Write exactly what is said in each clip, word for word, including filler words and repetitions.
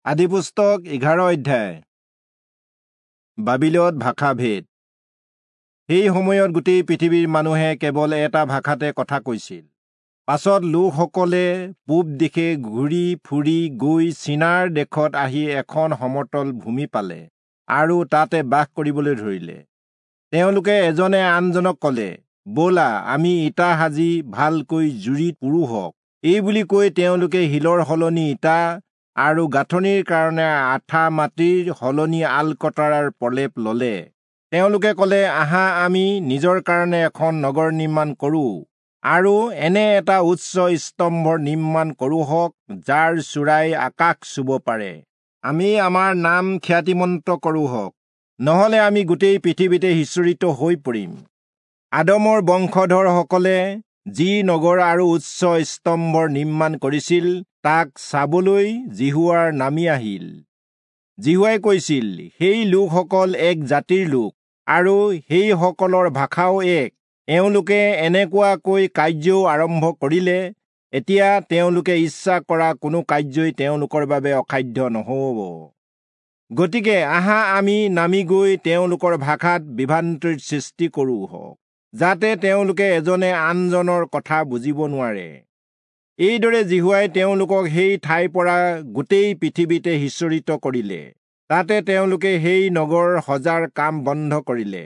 আদিপুস্তক এঘাৰ অধ্যায়। বাবিলত ভাষাভেদ। সেই সময়ত গোটেই পৃথিৱীৰ মানুহে কেৱল এটা ভাষাতে কথা কৈছিল। পাছত লোকসকলে পূব দিশে ঘূৰি ফুৰি গৈ চিনাৰ দেশত আহি এখন সমতল ভূমি পালে আৰু তাতে বাস কৰিবলৈ ধৰিলে। তেওঁলোকে এজনে আনজনক ক'লে, ব'লা আমি ইটা সাজি ভালকৈ জুৰি পুৰোঁহক। এই বুলি কৈ তেওঁলোকে শিলৰ সলনি ইটা আৰু গাঁথনিৰ কাৰণে আঠা মাটিৰ সলনি আলকতৰাৰ প্ৰলেপ ললে। তেওঁলোকে ক'লে, আহা আমি নিজৰ কাৰণে এখন নগৰ নিৰ্মাণ কৰোঁ আৰু এনে এটা উচ্চ স্তম্ভৰ নিৰ্মাণ কৰোঁহক যাৰ চূড়াই আকাশ চুব পাৰে। আমি আমাৰ নাম খ্যাতিমন্ত কৰোঁহক, নহ'লে আমি গোটেই পৃথিৱীতে সিঁচৰিত হৈ পৰিম। আদমৰ বংশধৰসকলে যি নগৰ আৰু উচ্চ স্তম্ভৰ নিৰ্মাণ কৰিছিল তাক চাবলৈ যিহোৱাৰ নামি আহিল। যিহোৱাই কৈছিল, সেই লোকসকল এক জাতিৰ লোক আৰু সেইসকলৰ ভাষাও এক। এওঁলোকে এনেকুৱাকৈ কাৰ্যও আৰম্ভ কৰিলে, এতিয়া তেওঁলোকে ইচ্ছা কৰা কোনো কাৰ্যই তেওঁলোকৰ বাবে অসাধ্য নহ'ব। গতিকে আহা আমি নামি গৈ তেওঁলোকৰ ভাষাত বিভ্ৰান্তিৰ সৃষ্টি কৰোঁহক, যাতে তেওঁলোকে এজনে আনজনৰ কথা বুজিব নোৱাৰে। এইদৰে যিহোৱাই তেওঁলোকক সেই ঠাইৰ পৰা গোটেই পৃথিৱীতে সিঁচৰিত কৰিলে। তাতে তেওঁলোকে সেই নগৰ সজাৰ কাম বন্ধ কৰিলে।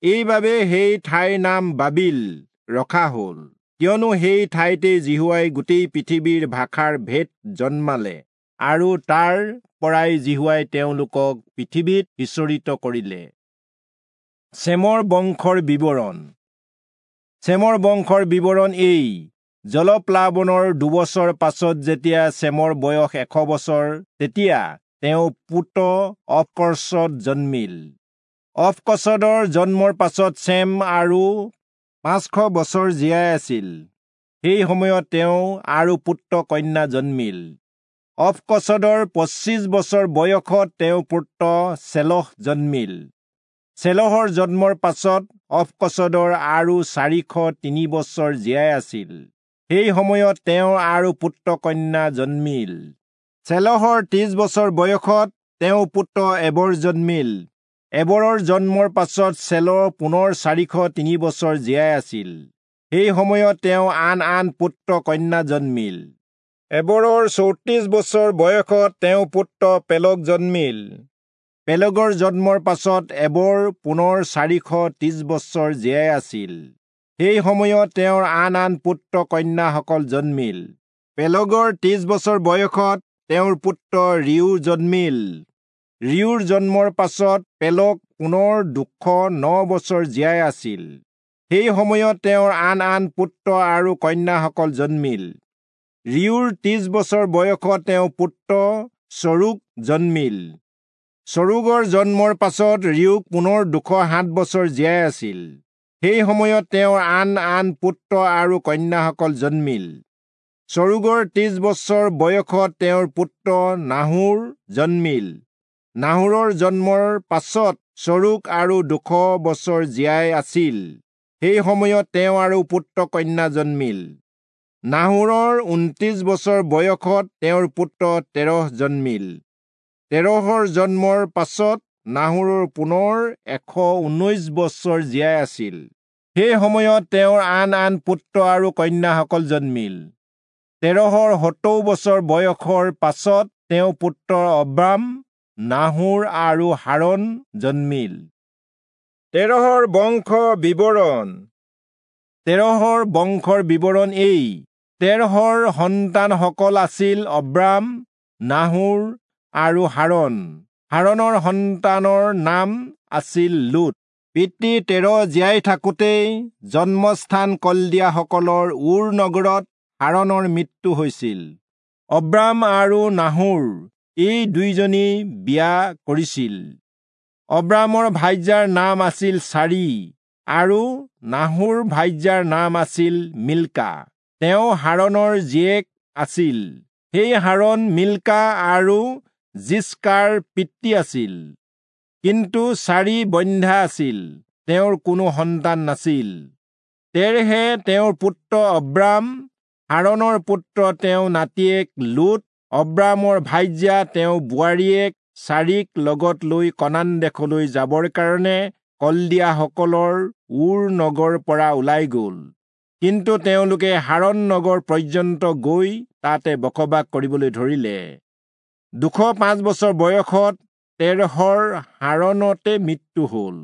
এইবাবে সেই ঠাইৰ নাম বাবিল ৰখা হ'ল, কিয়নো সেই ঠাইতে যিহোৱাই গোটেই পৃথিৱীৰ ভাষাৰ ভেদ জন্মালে আৰু তাৰ পৰাই যিহোৱাই তেওঁলোকক পৃথিৱীত সিঁচৰিত কৰিলে। চেমৰ বংশৰ বিৱৰণ। চেমৰ বংশৰ বিৱৰণ এই: জলপ্লাৱনৰ দুবছৰ পাছত যেতিয়া চেমৰ বয়স এশ বছৰ, তেতিয়া তেওঁ পুত্ৰ অৰ্পক্ষদ জন্মিল। অৰ্পক্ষদৰ জন্মৰ পাছত চেম আৰু পাঁচশ বছৰ জীয়াই আছিল। সেই সময়ত তেওঁ আৰু পুত্ৰ কন্যা জন্মিল। অৰ্পক্ষদৰ পঁচিছ বছৰ বয়সত তেওঁ পুত্ৰ চেলহ জন্মিল। চেলহৰ জন্মৰ পাছত অৰ্পক্ষদৰ আৰু চাৰিশ তিনি বছৰ জীয়াই আছিল। সেই সময়ত তেওঁ আৰু পুত্ৰ কন্যা জন্মিল। চেলহৰ ত্ৰিশ বছৰ বয়সত তেওঁ পুত্ৰ এবৰ জন্মিল। এবৰৰ জন্মৰ পাছত চেলহ পুনৰ চাৰিশ তিনি বছৰ জীয়াই আছিল। সেই সময়ত তেওঁ আন আন পুত্ৰ কন্যা জন্মিল। এবৰৰ চৌত্ৰিশ বছৰ বয়সত তেওঁ পুত্ৰ পেলগ জন্মিল। পেলগৰ জন্মৰ পাছত এবৰ পুনৰ চাৰিশ ত্ৰিশ বছৰ জীয়াই আছিল। সেই সময়ত তেওঁৰ আন আন পুত্ৰ কন্যাসকল জন্মিল। পেলগৰ ত্ৰিশ বছৰ বয়সত তেওঁৰ পুত্ৰ ৰিউ জন্মিল। ৰিউৰ জন্মৰ পাছত পেলগ পুনৰ দুশ ন বছৰ জীয়াই আছিল। সেই সময়ত তেওঁৰ আন আন পুত্ৰ আৰু কন্যাসকল জন্মিল। ৰিউৰ ত্ৰিশ বছৰ বয়সত তেওঁ পুত্ৰ চৰুগ জন্মিল। চৰুগৰ জন্মৰ পাছত ৰিউক পুনৰ দুশ সাত বছৰ জীয়াই আছিল। সেই সময়ত তেওঁৰ আন আন পুত্ৰ আৰু কন্যাসকল জন্মিল। চৰুগৰ ত্ৰিশ বছৰ বয়সত তেওঁৰ পুত্ৰ নাহোৰ জন্মিল। নাহোৰৰ জন্মৰ পাছত চৰুগ আৰু দুশ বছৰ জীয়াই আছিল। সেই সময়ত তেওঁ আৰু পুত্ৰ কন্যা জন্মিল। নাহোৰৰ ঊনত্ৰিশ বছৰ বয়সত তেওঁৰ পুত্ৰ তেৰহ জন্মিল। তেৰহৰ জন্মৰ পাছত নাহোৰৰ পুনৰ এশ ঊনৈশ বছৰ জীয়াই আছিল। সেই সময়ত তেওঁৰ আন আন পুত্ৰ আৰু কন্যাসকল জন্মিল। তেৰহৰ সত্তৰ বছৰ বয়সৰ পাছত তেওঁ পুত্ৰ অব্ৰাম, নাহোৰ আৰু হাৰণ জন্মিল। তেৰহৰ বংশ বিৱৰণ। তেৰহৰ বংশৰ বিৱৰণ এই: তেৰহৰ সন্তানসকল আছিল অব্ৰাম, নাহোৰ আৰু হাৰণ। হাৰণৰ সন্তানৰ নাম আছিল লোট। পিতৃ তেৰহ জীয়াই থাকোঁতেই জন্মস্থান কলদিয়াসকলৰ ঊৰ নগৰত হাৰণৰ মৃত্যু হৈছিল। অব্ৰাম আৰু নাহোৰ এই দুইজনী বিয়া কৰিছিল। অব্ৰামৰ ভাৰ্যাৰ নাম আছিল চাৰি আৰু নাহোৰ ভাৰ্যাৰ নাম আছিল মিল্কা। তেওঁ হাৰণৰ জীয়েক আছিল। সেই হাৰণ মিল্কা আৰু যিস্কাৰ পিতৃ আছিল। কিন্তু চাৰি বন্ধ্যা আছিল, তেওঁৰ কোনো সন্তান নাছিল। তেৰহে তেওঁৰ পুত্ৰ অব্ৰাম, হাৰণৰ পুত্ৰ তেওঁ নাতিয়েক লোট অব্ৰামৰ ভাৰ্যা তেওঁ বোৱাৰীয়েক চাৰীক লগত লৈ কনান দেশলৈ যাবৰ কাৰণে কলদিয়াসকলৰ ঊৰ নগৰ পৰা ওলাই গ'ল। কিন্তু তেওঁলোকে হাৰণ নগৰ পৰ্যন্ত গৈ তাতে বসবাস কৰিবলৈ ধৰিলে। দুশ পাঁচ বছৰ বয়সত তেৰহৰ হাৰণতে মৃত্যু হ'ল।